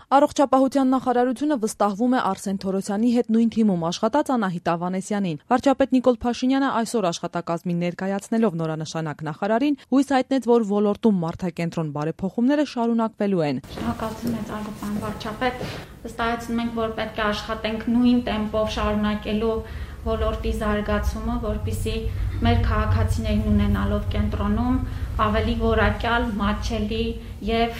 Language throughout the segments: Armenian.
Առողջապահության նախարարությունը վստահվում է Արսեն Թորոսյանի հետ նույն թիմում աշխատած Անահիտ Ավանեսյանին։ Վարչապետ Նիկոլ Փաշինյանը այսօր աշխատակազմին ներկայացնելով նորանշանակ նախարարին հույս հայտնեց, որ ոլորտում մարդակենտրոն բարեփոխումները շարունակվելու են։ Շնորհակալություն մեծ Ալբերտ վարչապետ, վստահեցնում ենք, որ պետք է աշխատենք նույն տեմպով շարունակելու ոլորտի զարգացումը, որպեսզի մեր քաղաքացիներն ունենալով կենտրոնում ավելի որակյալ, մատչելի եւ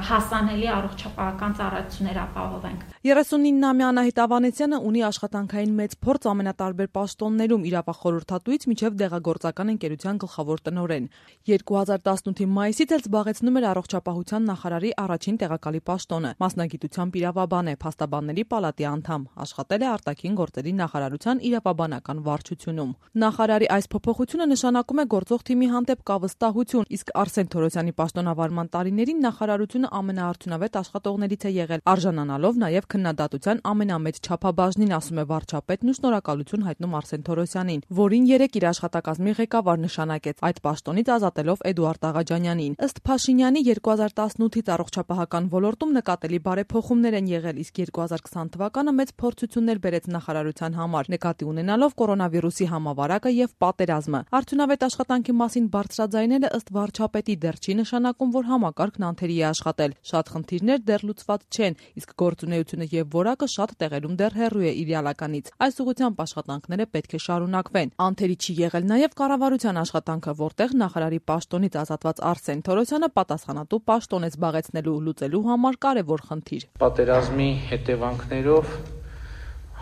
հասանելի առողջապահական ծառայություններ ապահովենք։ 39-ամյա Անահիտ Ավանեսյանը ունի աշխատանքային մեծ փորձ ամենատարբեր պաշտոններում՝ իրավախորհրդատուից մինչև դեղագործական ընկերության գլխավոր տնօրեն։ 2018-ի մայիսից էլ զբաղեցնում էր առողջապահության նախարարի առաջին տեղակալի պաշտոնը։ Մասնագիտությամբ իրավաբան է, փաստաբանների պալատի անդամ, աշխատել է արտաքին գործերի նախարարության իրավաբանական վարչությունում։ Նախարարի այս փոփոխությունը նշանակում է գործող թիմի հանդեպ կա վստահություն, իսկ Արսեն Թորոսյանի պաշտոնավարման տարիներին նախարարությունը ամենաարդյունավետ աշխատողներից է եղել, արժանանալով նաև քննադատության ամենամեծ չափաբաժնին, ասում է վարչապետն ու շնորհակալություն հայտնում Արսեն Թորոսյանին, որին երեկ իր աշխատակազմի ղեկավար նշանակեց, այդ պաշտոնից ազատելով Էդուարդ Աղաջանյանին։ Ըստ Փաշինյանի 2018-ից առողջապահական ոլորտում նկատելի բարեփոխումներ են եղել, իսկ 2020 թվականը մեծ փորձություններ բերեց նախարարության համար, նկատի ունենալով կորոնավիրուսի համավարակը եւ պատերազմը։ Արդյունավետ աշխատանքի մասին բարձրաձայնելը ըստ վարչապետի դեռ չի նշանակում, որ համակարգն անթերի է աշխատել։ Շատ խնդիրներ դեռ լուծված չեն, իսկ գործունեությունը եւ որակը շատ տեղերում դեռ հեռու է իդեալականից։ Այս ուղղությամբ աշխատանքները պետք է շարունակվեն։ Անթերի չի եղել նաեւ կառավարության աշխատանքը, որտեղ նախարարի պաշտոնից ազատված Արսեն Թորոսյանը պատասխանատու պաշտոն է զբաղեցնելու լուծելու համար կարևոր խնդիր։ Պատերազմի հետևանքներով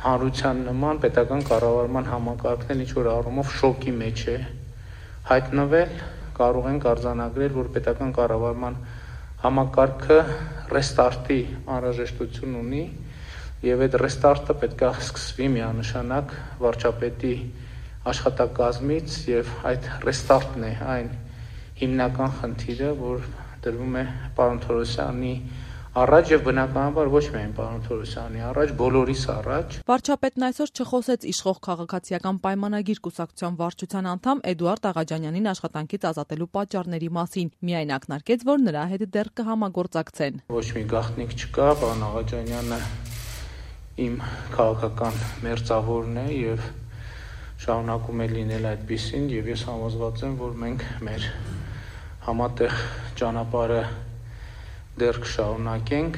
հանրության նման պետական կառավարման համակարգն էլ ինչ-որ առումով շոկի մեջ է հայտնվել, կարող ենք արձանագրել, որ պետական կառավարման համակարգը ռեստարտի անհրաժեշտություն ունի եւ այդ ռեստարտը պետք է սկսվի միանշանակ վարչապետի աշխատակազմից եւ այդ ռեստարտն է այն հիմնական խնդիրը, որ դրվում է պարոն Թորոսյանի առաջ եւ բնականաբար ոչ միայն պարոն Թորոսյանի առաջ, բոլորիս առաջ։ Վարչապետն այսօր չխոսեց իշխող քաղաքացիական պայմանագիր կուսակցության վարչության անդամ Էդուարդ Աղաջանյանին աշխատանքից ազատելու պատճառների մասին, միայն ակնարկեց, որ նրա հետ դեռ կհամագործակցեն։ Ոչ մի գաղտնիք չկա, պարոն Աղաջանյանը իմ քաղաքական մերձավորն է եւ շարունակում է լինել այդպիսին եւ ես համոզված եմ, որ մենք մեր համատեղ ճանապարհը դեռ կշարունակենք։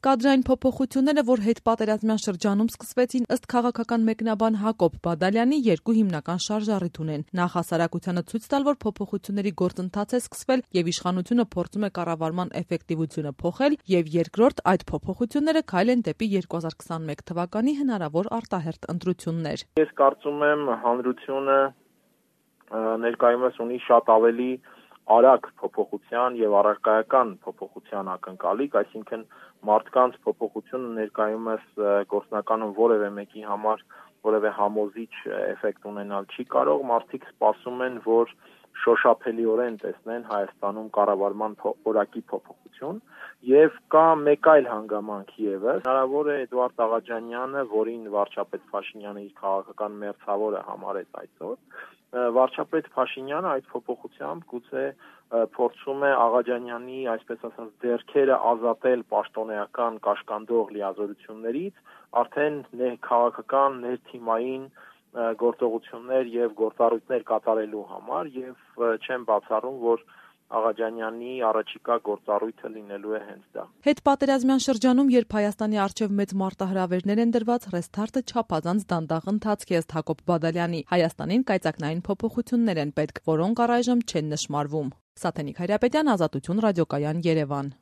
Կադրային փոփոխությունները, որ հետպատերազմյան շրջանում սկսվեցին, ըստ քաղաքական մեկնաբան Հակոբ Բադալյանի, երկու հիմնական շարժառիթ ունեն։ Նախ հասարակությանը ցույց տալ, որ փոփոխությունների գործընթաց է սկսվել եւ իշխանությունը փորձում է կառավարման էֆեկտիվությունը փոխել, եւ երկրորդ, այդ փոփոխությունները քայլ են դեպի 2021 թվականի հնարավոր արտահերթ ընտրություններ։ Ես կարծում եմ, հանրությունը ներկայումս ունի շատ ավելի արագ փոփոխության եւ առարկայական փոփոխության ակնկալիք, այսինքն մարդկանց փոփոխությունը ներկայումս գործնականում որևէ մեկի համար որևէ համոզիչ էֆեկտ ունենալ չի կարող, մարդիկ սպասում են, որ շոշափելիորեն տեսնեն Հայաստանում կառավարման որակի փոփոխություն եւ կա մեկ այլ հանգամանք եւս, հնարավոր է Էդուարդ Աղաջանյանը, որին վարչապետ Փաշինյանը իր քաղաքական մերձավորը համարեց այսօր, վարչապետ Փաշինյանը այդ փոփոխությամբ գուցե փորձում է Աղաջանյանի, այսպես ասած, ձեռքերը ազատել պաշտոնեական կաշկանդող լիազորություններից, արդեն քաղաքական ներթիմային գործողություններ եւ գործառույթներ կատարելու համար եւ չեմ բացառում, որ Աղաջանյանի առաջիկա գործառույթը լինելու է հենց դա։ Հետպատերազմյան շրջանում, երբ Հայաստանի առջև մեծ մարտահրավերներ են դրված, ռեստարտը չափազանց դանդաղ ընթացք է, ըստ Հակոբ Բադալյանի։ Հայաստանին կայծակնային փոփոխություններ են պետք, որոնք առայժմ չեն նշմարվում։ Սաթենիկ Հայրապետյան, Ազատություն ռադիոկայան, Երևան։